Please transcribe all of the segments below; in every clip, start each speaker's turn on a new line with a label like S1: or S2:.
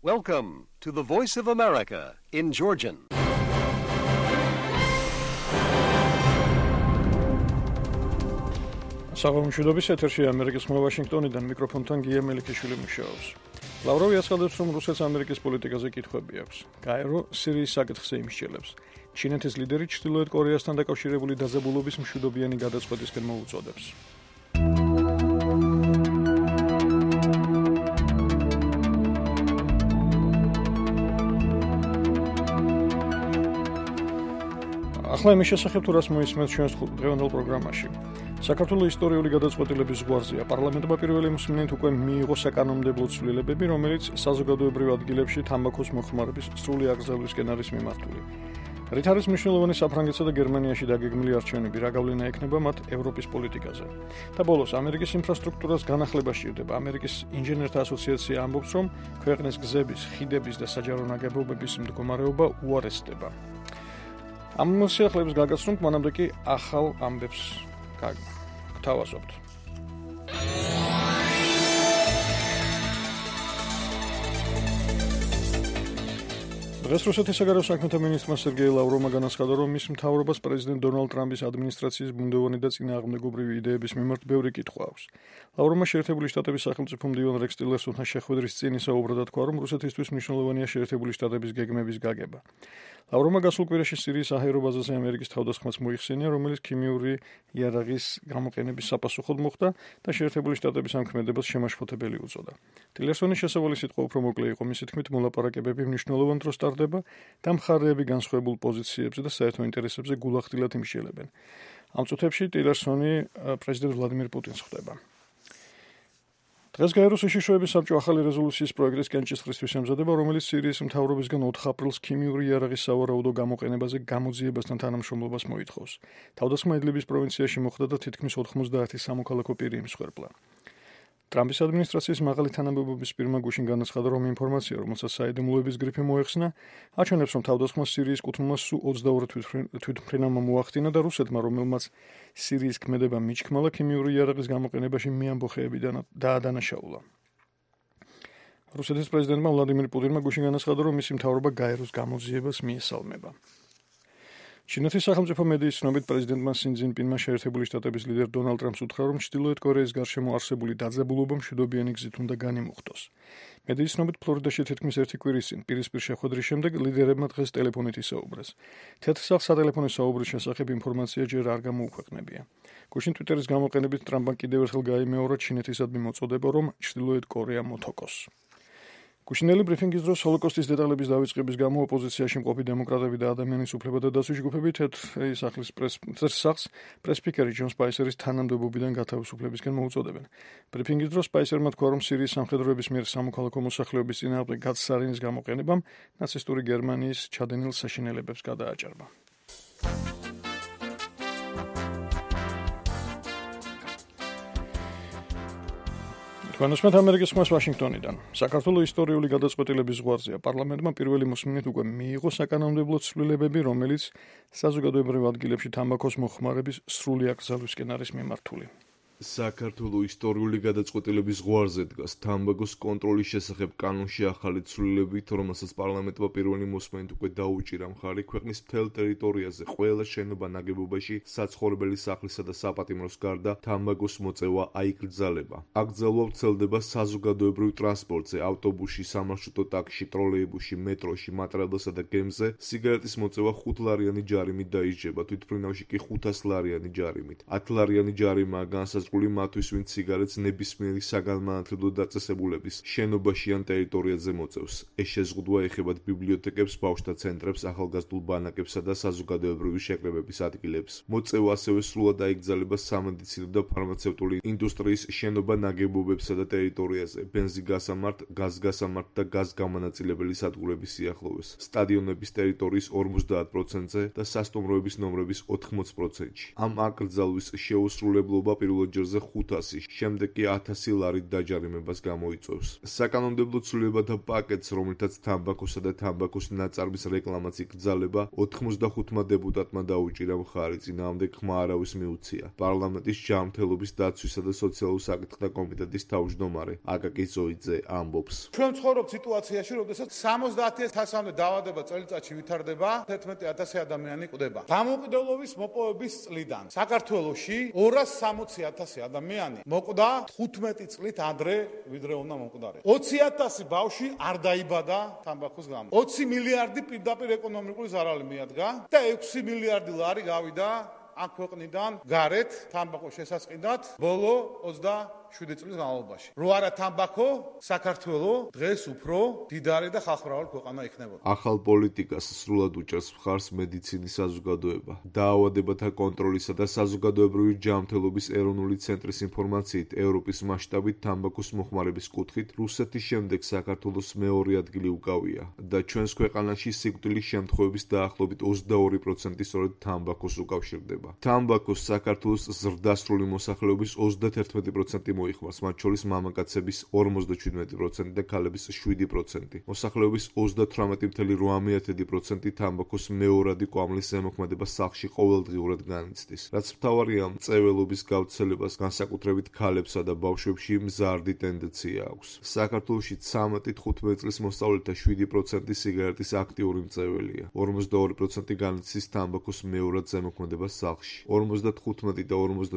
S1: Welcome to the Voice of America in Georgian.
S2: საღამოშუდობის ეთერში ამერიკის ხმა ვაშინგტონიდან მიკროფონთან გია მელიქიშვილი მუშაობს. ლავროვი აცხადებს, რომ რუსეთს ამერიკის პოლიტიკაზე კითხვები აქვს. გაერო სირიის საკითხზე იმსჯელებს. ჩინეთის ლიდერი ჩრდილოეთ კორეასთან დაკავშირებული დაძაბულობის მშვიდობიანი გადაწყვეტისკენ მოუწოდებს. ახლა იმის შესახებ თუ რას მოისმენთ ჩვენს დღევანდელ პროგრამაში. საქართველოს ისტორიული გადაწყვეტილების ზღვარზეა. პარლამენტმა პირველი მსმენით უკვე მიიღო საკანონმდებლო ცვლილებები, რომელიც საზოგადოებრივ ადგილებში თამბაქოს მოხმარების სრული აკრძალვისკენ არის მიმართული. რით არის მნიშვნელოვანი საფრანგეთსა და გერმანიაში დაგეგმილი არჩევნები, რა გავლენა ექნება მათ ევროპის პოლიტიკაზე. და ბოლოს, ამერიკის ინფრასტრუქტურას განახლება სჭირდება. ამერიკის ინჟინერთა ასოციაცია ამბობს, რომ ქვეყნის გზების, ხიდების და საჯარო ნაგებობების მდგომარეობა უარესდება. ამ მოსახლეებს გაგაცნობთ, მანამდე კი ახალ ამბებს გთავაზობთ. დღეს რუსეთის საგარეო საქმეთა მინისტრმა სერგეი ლავროვმა განაცხადა, რომ მის მთავრობას პრეზიდენტ დონალდ ტრამპის ადმინისტრაციის ბუნდოვანი და წინააღმდეგობრივი იდეების მიმართ ბევრი კითხვა აქვს. ლავროვმა შეერთებული შტატების სახელმწიფო მდივან რეკს ტილერსონთან შეხვედრის წინ ისაუბრა და თქვა, რომ რუსეთისთვის მნიშვნელოვანია შეერთებული შტატების გეგმების გაგება. ლავროვმა გასულ კვირაში სირიის საჰაერო ბაზაზე ამერიკის თავდასხმას მოიხსენია, რომელიც ქიმიური იარაღის გამოყენების საპასუხოდ მოხდა და შეერთებული შტატების ამ ქმედებას შემაშფოთებელი უწოდა. ტილერსონის შესავალი სიტყვა უფრო მოკლე იყო, მისი თქმით, მოლაპარაკებები მნიშვნელოვან დროს ტარდება და მხარეები განსხვავებულ პოზიციებზე და საერთო ინტერესებზე გულახდილად იმსჯელებენ. ამ წუთებში ტილერსონი პრეზიდენტ ვლადიმირ პუტინს ხვდება. დღეს გაეროს უშიშროების საბჭო ახალი რეზოლუციის პროექტის კენჭისყრისთვის ემზადება, რომელიც სირიის მთავრობისგან 4 აპრილს ქიმიური იარაღის სავარაუდო გამოყენებაზე გამოძიებასთან თანამშრომლობას მოითხოვს. თავდასხმა იდლიბის პროვინციაში მოხდა და თითქმის 90 სამოქალაქო პირი იმსხვერპლა. ტრამპის ადმინისტრაციის მაღალი თანამდებობის პირმა გუშინ განაცხადა, რომ ინფორმაცია, რომელსაც საიდუმლოების გრიფი მოეხსნა, აჩვენებს, რომ თავდასხმა სირიის კუთვნილმა სულ 22 თვითმფრინავმა მოახდინა და რუსეთმა, რომელმაც სირიის ქმედება მიჩქმალა, ქიმიური იარაღის გამოყენებაში მიამბოხეებიდან დაადანაშაულა. რუსეთის პრეზიდენტმა ვლადიმირ პუტინმა გუშინ განაცხადა, რომ მისი მთავრობა გაეროს გამოძიებას მიესალმება. ჩინეთის სახელმწიფო მედიის ცნობით პრეზიდენტმა სინ ძინპინმა შეერთებული შტატების ლიდერ დონალდ ტრამპს უთხრა, რომ ჩრდილოეთ კორეის გარშემო არსებული დაძაბულობა მშვიდობიანი გზით უნდა განიმუხტოს. მედიის ცნობით ფლორიდაში თითქმის 1 კვირის წინ პირისპირ შეხვედრის შემდეგ ლიდერებმა დღეს ტელეფონით ისაუბრეს. თეთრ სახლს სატელეფონო საუბრის შესახებ ინფორმაცია ჯერ არ გამოუქვეყნებია. გუშინ ტვიტერის გამოყენებით ტრამპმა კიდევ ერთხელ გაიმეორა ჩინეთისადმი მოწოდება, რომ ჩრდილოეთ კორეა მოთოკოს. გუშინელი ბრიფინგის დროს ჰოლოკოსტის დეტალების დავიწყების გამო ოპოზიციაში მყოფი დემოკრატები და ადამიანის უფლებათა დაცვის ჯგუფები თეთრ სახლს პრესპიკერი ჯონ სპაისერის თანამდებობიდან გათავისუფლებისკენ მოუწოდებენ. ბრიფინგის დროს სპაისერმა თქვა, რომ სირიის სამხედროების მიერ სამოქალაქო მოსახლეობის წინააღმდეგ გაცსარინის გამოყენებამ ნაცისტური გერმანიის ჩადენილ საშინელებებს გადააჭარბა. განსმენთ ამერიკის ხმას ვაშინგტონიდან. საქართველოს ისტორიული გადაწყვეტილების ზღვარზეა. პარლამენტმა პირველი მოსმენით უკვე მიიღო საკანონმდებლო ცვლილებები, რომელიც საზოგადოებრივ ადგილებში თამბაქოს მოხმარების სრული აკრძალვისკენ არის მიმართული.
S3: საქართველოს ისტორიული გადაწყვეტილების ზღვარზე დგას თამბაქოს კონტროლის შესახებ კანონში ახალი ცვლილებით, რომელსაც პარლამენტმა პირველი მოსმენით უკვე დაუჭირა მხარი ქვეყნის მთელ ტერიტორიაზე ყველა შენობა ნაგებობაში საცხოვრებელი სახლისა და საპატიმროს გარდა თამბაქოს მოწევა აიკრძალება. აკრძალვა ვრცელდება საზოგადოებრივ ტრანსპორტზე, ავტობუსში, სამარშრუტო ტაქსში, ტროლეიბუსში, მეტროში, მატრაბელსა და გემზე. სიგარეტის მოწევა 5 ლარიანი ჯარიმით დაიჯება, თვითმფრინავში კი 500 ლარიანი ჯარიმით. 10 ლარიანი ჯარიმაა განსაზღვრული მათვის, ვინც სიგარეტს ნებისმიერი საგანმანათლებლო დაწესებულების შენობაში ან ტერიტორიაზე მოწევს. ეს შეზღუდვა ეხებათ ბიბლიოთეკებს, ბავშვთა ცენტრებს, ახალგაზრდულ ბანაკებსა და საზოგადოებრივი შეკრებების ადგილებს. მოწევა ასევე სრულად აიკრძალება სამედიცინო და ფარმაცევტული ინდუსტრიის შენობა ნაგებობებსა და ტერიტორიაზე, ბენზინგასამართ, გაზგასამართ და გაზგამონაწილებელი სადგურების სიახლოვეს, სტადიონების ტერიტორიის 50%-ზე და სასტუმროების ნომრების 80%-ში. ამ აკრძალვის შეუსრულებლობა პირველ ზოგჯერზე 500, შემდეგ კი 1000 ლარით დაჯარიმებას გამოიწვევს. საკანონმდებლო ცვლილებათა პაკეტს, რომელთაც თამბაქოსა და თამბაქოს ნაწარმის რეკლამაც იკრძალება, 85 დეპუტატმა დაუჭირა მხარი, წინააღმდეგ ხმა არავის მიუცია. პარლამენტის ჯანმრთელობის დაცვისა და სოციალურ საკითხთა კომიტეტის თავმჯდომარე აკაკი ზოიძე ამბობს.
S4: ჩვენ ვცხოვრობთ სიტუაციაში, როდესაც 70,000-მდე დაავადება წელიწადში ვითარდება, 11,000 ადამიანი კვდება. დამოუკიდებლობის მოპოვების წლიდან საქართველოში 260,000 ადამიანი მოკვდა 15 წლით ადრე, ვიდრე უნდა მოკვდარიყო. 20,000 ბავშვი არ დაიბადა თამბაქოს გამო. 20 მილიარდი პირდაპირ ეკონომიკური ზარალი მიადგა და 6 მილიარდი ლარი გავიდა აქ ქვეყნიდან გარეთ თამბაქოს შესაწყინად ბოლო 27 წლის განმავლობაში. რო არა თამბაქო, საქართველო დღეს უფრო დიდარი და ხალხმრავალი ქვეყანა იქნებოდა.
S3: ახალ პოლიტიკას სრულად უჭერს მხარს მედიცინის საზოგადოება. დაავადებათა კონტროლისა და საზოგადოებრივი ჯანმრთელობის ეროვნული ცენტრის ინფორმაციით, ევროპის მასშტაბით თამბაქოს მოხმარების კუთხით რუსეთის შემდეგ საქართველოს მეორე ადგილი უკავია და ჩვენს ქვეყანაში სიკვდილის შემთხვევების დაახლოებით 22% სწორედ თამბაქოს უკავშირდება. თამბაქოს საქართველოს ზრდასრული მოსახლეობის 31% მოიხმარს, მათ შორის მამაკაცების 57% და ქალების 7%. მოსახლეობის 38.8% თამბაქოს მეორადი კვამლის ზემოქმედება სახლში ყოველდღიურად განიცდის. რაც მთავარია, მწვერვალობის გავრცელებას განსაკუთრებით ქალებსა და ბავშვებში მზარდი ტენდენცია აქვს. საქართველოში 13-15 წლის მოსწავლეთა 7% სიგარეტის აქტიური მწვერვალია. 42% განიცდის თამბაქოს მეორად ზემოქმედებას სახლში. 55 და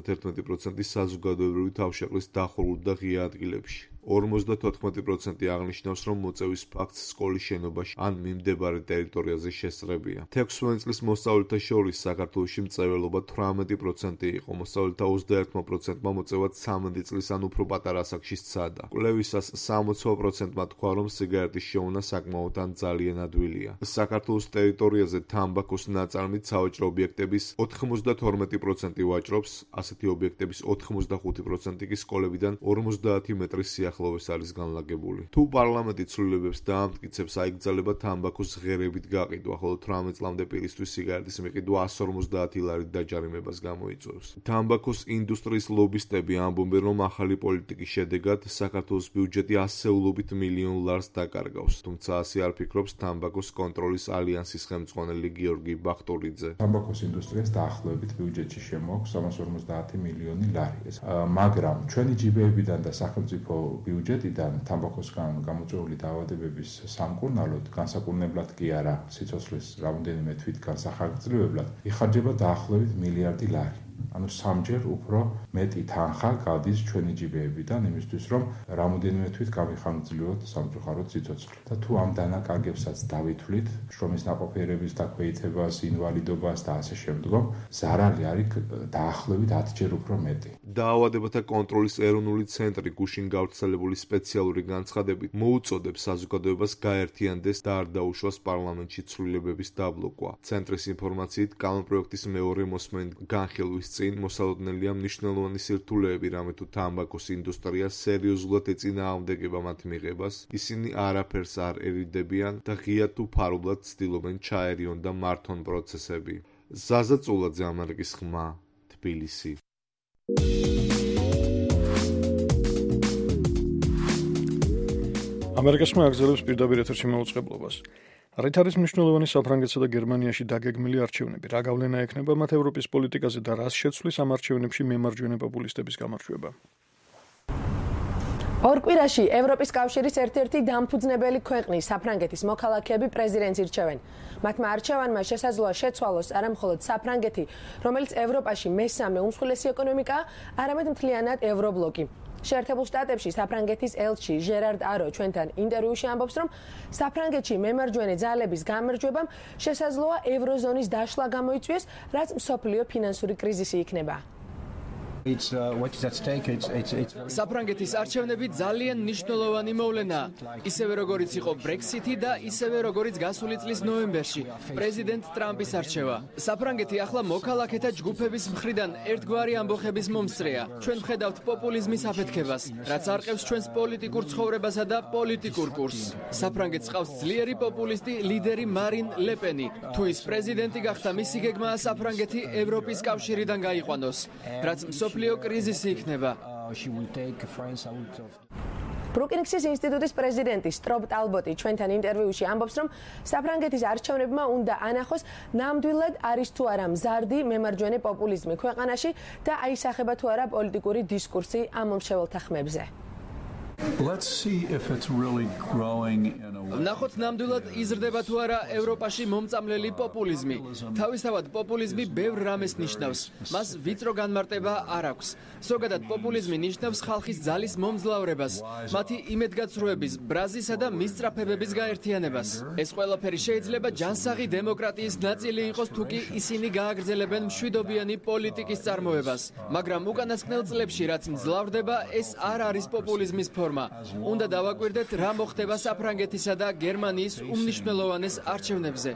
S3: 51% საზოგადოებრივი თავშეყრის დახურულ და ღია ადგილებში. 54% აღნიშნავს, რომ მოწევის ფაქტს სკოლის შენობაში ან მიმდებარე ტერიტორიაზე შესწრებია. 16 წლის მოსწავლეთა შორის საქართველოში მწვერვალობა 18% იყო, მოსწავლეთა 21%-მა მოწევად 13 წლის ან უფრო პატარა ასაკში სცადა. კვლევისას 60%-მა თქვა, რომ სიგარეტის შეუნა საკმაოდ ან ძალიან ადვილია. საქართველოს ტერიტორიაზე თამბაქოს ნაწარმით სავაჭრო ობიექტების 92% ვაჭრობს, ასეთი ობიექტების 85% კი სკოლებიდან 50 მეტრის ახლოვეს არის განლაგებული. თუ პარლამენტი ცვლილებებს დაამტკიცებს, აიგრძელება თამბაქოს ღერებით გაყიდვა, ხოლო 18 წლამდე პირისთვის სიგარეტის მიყიდვა 150 ლარით დაჯარიმებას გამოიწვევს. თამბაქოს ინდუსტრიის ლობისტები ამბობენ, რომ ახალი პოლიტიკის შედეგად საქართველოს ბიუჯეტი ასეულობით მილიონ ლარს დაკარგავს. თუმცა ასე არ ფიქრობს თამბაქოს კონტროლის ალიანსის ხელმძღვანელი გიორგი ბახტურიძე.
S5: თამბაქოს ინდუსტრიას დაახლოებით ბიუჯეტში შემოაქვს 350 მილიონი ლარი. მაგრამ ჩვენი ჯიბეებიდან და სახელმწიფო ბიუჯეტიდან თამბაქოსგან გამოწვეული დაავადებების სამკურნალოდ, განსაკურნებლად კი არა სიცოცხლის რამოდენიმე თვით განსახარგრძლებლად, იხარჯება დაახლოებით მილიარდი ლარი. ანუ სამჯერ უფრო მეტი თანხა გადის ჩვენი ჯიბეებიდან იმისთვის, რომ რამოდენიმე თვით გამიხარგრძლოთ სამწუხაროდ სიცოცხლე. და თუ ამ დანაკარგებსაც დავითვლით, შრომის ნაყოფიერების დაქვეითებას, ინვალიდობას და ასე შემდგომ, ზარალი არის დაახლოებით 10-ჯერ უფრო მეტი.
S3: დაავადებათა კონტროლის ეროვნული ცენტრი გუშინ გავრცელებული სპეციალური განცხადებით მოუწოდებს საზოგადოებას გაერთიანდეს და არ დაუშვას პარლამენტში ცვლილებების დაბლოკვა. ცენტრის ინფორმაციით, კანონპროექტის მეორე მოსმენით განხილვის წინ მოსალოდნელია მნიშვნელოვანი სირთულეები, რამე თუ თამბაქოს ინდუსტრია სერიოზულად ეწინააღმდეგება მათ მიღებას, ისინი არაფერს არ ერიდებიან და ღიად თუ ფარულად ცდილობენ ჩაერიონ და მართონ პროცესები. ზაზა წულაძე, ამერიკის ხმა, თბილისი.
S2: ამერიკის ხმა აგრძელებს პირდაპირ ეთერში მაუწყებლობას. რით არის მნიშვნელოვანი საფრანგეთსა და გერმანიაში დაგეგმილი არჩევნები? რა გავლენა ექნება მათ ევროპის პოლიტიკაზე და რას შეცვლის ამ არჩევნებში მემარჯვენე პოპულისტების გამარჯვება?
S6: ორ კვირაში ევროპის კავშირის ერთ-ერთი დამფუძნებელი ქვეყნის საფრანგეთის მოქალაქეები პრეზიდენტს ირჩევენ. მათმა არჩევანმა შესაძლოა შეცვალოს არა მხოლოდ საფრანგეთი, რომელიც ევროპაში მესამე უმსხვილესი ეკონომიკაა, არამედ მთლიანად ევრობლოკი. შეერთებულ შტატებში საფრანგეთის ელჩი ჟერარდ არო ჩვენთან ინტერვიუში ამბობს, რომ საფრანგეთში მემარჯვენე ძალების გამარჯვებამ შესაძლოა ევროზონის დაშლა გამოიწვიოს, რაც მსოფლიო ფინანსური კრიზისი იქნება.
S7: საფრანგეთის არჩევნები ძალიან მნიშვნელოვანი მოვლენაა. ისევე როგორიც იყო ბრექსიტი და ისევე როგორიც გასული წლის ნოემბერში პრეზიდენტ ტრამპის არჩევა. საფრანგეთი ახლა მოქალაქეთა ჯგუფების მხრიდან ერთგვარი ამბოხების მომსწრეა. ჩვენ ვხედავთ პოპულიზმის აფეთქებას, რაც არყევს ჩვენს პოლიტიკურ ცხოვრებასა და პოლიტიკურ კურსს. საფრანგეთს ყავს ძლიერი პოპულისტი ლიდერი მარინ ლეპენი. თუ ის პრეზიდენტი გახდა, მისი გეგმაა საფრანგეთი ევროპის კავშირიდან გაიყვანოს, რაც მსოფლიო კრიზისი იქნება.
S6: ბრუკინგსის ინსტიტუტის პრეზიდენტი სტრობ ტალბოტი ჩვენთან ინტერვიუში ამბობს, რომ საფრანგეთის არჩევნებმა უნდა ანახოს ნამდვილად არის თუ არა მზარდი მემარჯვენე პოპულიზმი ქვეყანაში და აისახება თუ არა პოლიტიკური დისკურსი ამ მომრჩეველთა ხმებზე.
S8: Let's see if it's really growing in a way.
S7: ნახოთ ნამდვილად იზრდება თუ არა ევროპაში მომწამლელი პოპულიზმი. თავისთავად პოპულიზმი ბევრ რამეს ნიშნავს. მას ვიწრო განმარტება არ აქვს. ზოგადად პოპულიზმი ნიშნავს ხალხის ძალის მომძლავრებას, მათი იმედგაცრუების, ბრაზისა და მისწრაფებების გაერთიანებას. ეს ყველაფერი შეიძლება ჯანსაღი დემოკრატიის ნაწილი იყოს, თუ კი ისინი გააგრძელებენ მშვიდობიანი პოლიტიკის წარმოებას. მაგრამ უკანასკნელ წლებში, რაც მძლავრდება, ეს არ არის პოპულიზმის ფორმა. უნდა დავაკვირდეთ, რა მოხდება საფრანგეთისა და გერმანიის უმნიშვნელოვანეს არჩევნებზე.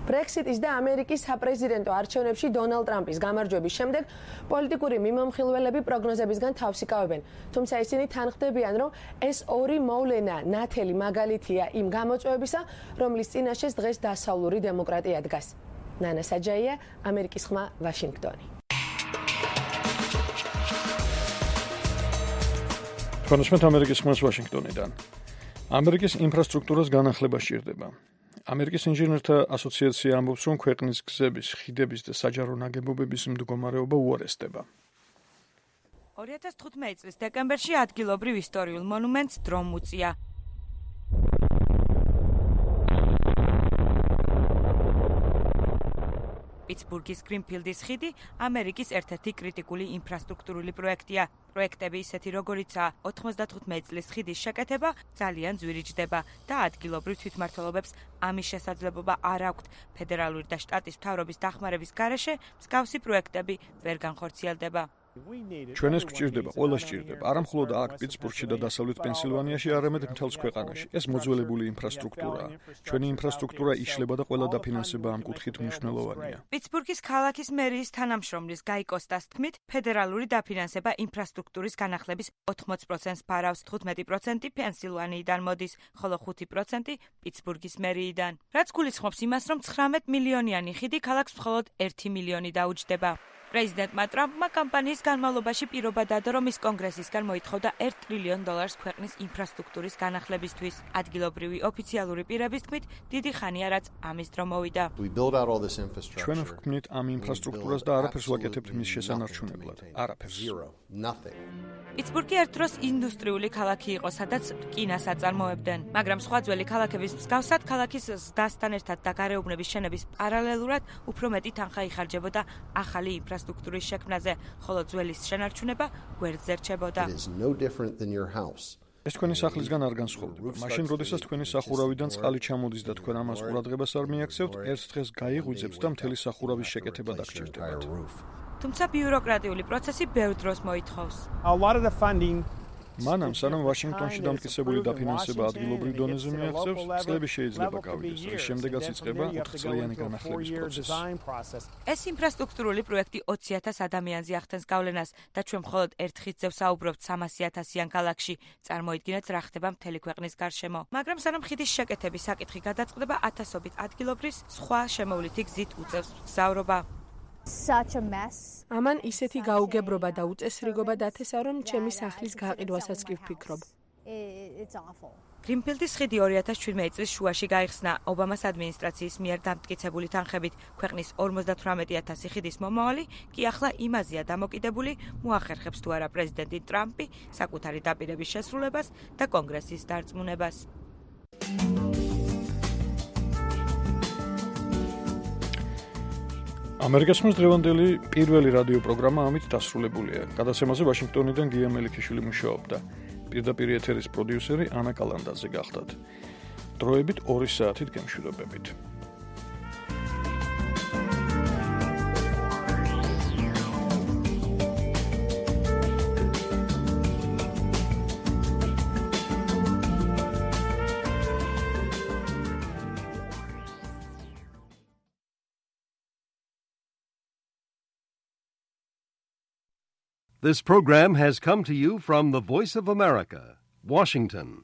S6: ბრექსიტის და ამერიკის საპრეზიდენტო არჩევნებში დონალდ ტრამპის გამარჯვების შემდეგ პოლიტიკური მიმომხილველები პროგნოზებისგან თავს იკავებენ. თუმცა ისინი თანხმდებიან, რომ ეს ორი მოვლენა ნათელი მაგალითია იმ გამოწვევებისა, რომლის წინაშეც დღეს დასავლური დემოკრატია დგას. ნანა საჯაია, ამერიკის ხმა, ვაშინგტონი.
S2: კონსმეთ ამერიკის ხმას ვაშინგტონიდან. ამერიკის ინფრასტრუქტურას განახლება სჭირდება. ამერიკის ინჟინერთა ასოციაცია ამბობს, რომ ქვეყნის გზების, ხიდების და საჯარო ნაგებობების მდგომარეობა უარესდება.
S9: 2015 წლის დეკემბერში ადგილობრივ ისტორიულ მონუმენტს დრომ უწია. პიტსბურგის გრინფილდის ხიდი ამერიკის ერთ-ერთი კრიტიკული ინფრასტრუქტურული პროექტია. პროექტები ისეთი როგორიცაა 95 წლის ხიდის შეკეთება ძალიან ძვირიჯდება და ადგილობრივ თვითმმართველობებს ამის შესაძლებლობა არ აქვთ. ფედერალური და შტატის მთავრობის დახმარების გარეშე მსგავსი პროექტები ვერ განხორციელდება.
S2: ჩვენ ეს გვჭირდება, ყველა სჭირდება, არა მხოლოდ აქ პიტსბურგში და დასავლეთ პენსილვანიაში, არამედ მთელს ქვეყანაში. ეს მოძველებული ინფრასტრუქტურაა. ჩვენი ინფრასტრუქტურა იშლება და ყველა დაფინანსება ამ კუთხით მნიშვნელოვანია.
S9: პიტსბურგის ქალაქის მერიის თანამშრომლის გაი კოსტას თქმით, ფედერალური დაფინანსება ინფრასტრუქტურის განახლების 80%-ს ფარავს, 15% პენსილვანიიდან მოდის, ხოლო 5% პიტსბურგის მერიიდან. რაც გულისხმობს იმას, რომ 19 მილიონიანი ხიდი ქალაქს მხოლოდ 1 მილიონი დაუჯდება. პრეზიდენტმა ტრამპმა კამპანიის განმავლობაში პირობა დადო, რომ ის კონგრესისგან მოითხოვდა $1 ტრილიონ ქვეყნის ინფრასტრუქტურის განახლებისთვის. ადგილობრივი ოფიციალური პირების თქმით, დიდი ხანია, რაც ამის დრო მოვიდა.
S2: ჩვენ ვქმნით ამ ინფრასტრუქტურას და არაფერს ვაკეთებთ მის შესანარჩუნებლად. არაფერს.
S9: პიტსბურგი ერთ დროს ინდუსტრიული ქალაქი იყო, სადაც რკინას აწარმოებდნენ, მაგრამ სხვა ძველი ქალაქების მსგავსად, ქალაქის ზრდასთან ერთად და გარეუბნების შენების პარალელურად უფრო მეტი თანხა იხარჯებოდა ახალი ინფრასტრუქტურის შექმნაზე, ხოლო ძველის შენარჩუნება გვერდზე რჩებოდა.
S2: ეს თქვენი სახლისგან არ განსხვავდება. მაშინ, როდესაც თქვენი სახურავიდან წყალი ჩამოდის და თქვენ ამას ყურადღებას არ მიაქცევთ, ერთ დღეს გაიღვიძებთ და მთელი სახურავის შეკეთება დაგჭირდებათ.
S9: თუმცა ბიუროკრატიული პროცესი ბევრ დროს მოითხოვს.
S2: მანამ, სანამ ვაშინგტონში დამტკიცებული დაფინანსება ადგილობრივ დონეზე მიაღწევს, წლები შეიძლება გავიდეს, რის შემდეგაც იწყება 4-წლიანი განახლების პროცესი.
S9: ეს ინფრასტრუქტურული პროექტი 20,000 ადამიანზე ახდენს გავლენას და ჩვენ მხოლოდ ერთ ხიდზე ვსაუბრობთ 300,000-იან ქალაქში. წარმოიდგინეთ, რა ხდება მთელი ქვეყნის გარშემო. მაგრამ სანამ ხიდის შეკეთების საკითხი გადაწყდება, ათასობით ადგილობრის სხვა შემოვლითი გზით უწევს მგზავრობა.
S6: ამან ისეთი გაუგებრობა და უწესრიგობა დათესა, რომ ჩემი სახლის გაყიდვასაც კი ვფიქრობ.
S9: გრინფილდის ხიდი 2017 წლის შუაში გაიხსნა ობამას ადმინისტრაციის მიერ დამტკიცებული თანხებით. ქვეყნის 58,000 ხიდის მომავალი კი ახლა იმაზეა დამოკიდებული, მოახერხებს თუ არა პრეზიდენტი ტრამპი საკუთარი დაპირების შესრულებას და კონგრესის დარწმუნებას.
S2: ამერიკის ხმის დღევანდელი პირველი რადიო პროგრამა ამით დასრულებულია. გადაცემაზე ვაშინგტონიდან გია მელიქიშვილი მუშაობდა. პირდაპირ ეთერის პროდიუსერი ანა კალანდაძე გახდათ. დროებით 2 საათით გემშვიდობებით.
S1: This program has come to you from the Voice of America, Washington.